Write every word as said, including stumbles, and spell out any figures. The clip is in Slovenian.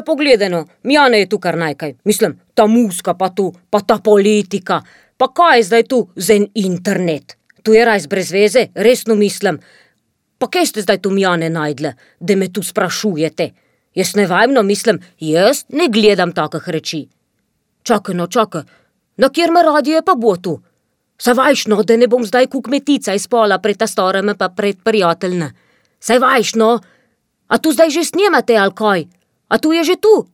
lepo gledano, Mijane je tu kar najkaj. Mislim, ta muska pa tu, pa ta politika. Pa kaj je zdaj tu za en internet? Tu je res brez veze, resno mislim. Pa kje ste zdaj tu Mijane najdle, da me tu sprašujete? Jaz ne vajmno mislim, jaz ne gledam takih reči. Čakaj, no, čakaj. Na kjer me radije pa bo tu? Saj vajš, no, da ne bom zdaj ku kmetica iz pola pred ta stareme pa pred prijateljne. Saj vajš, no. A tu zdaj že snemate, ali kaj? A tu je že tu?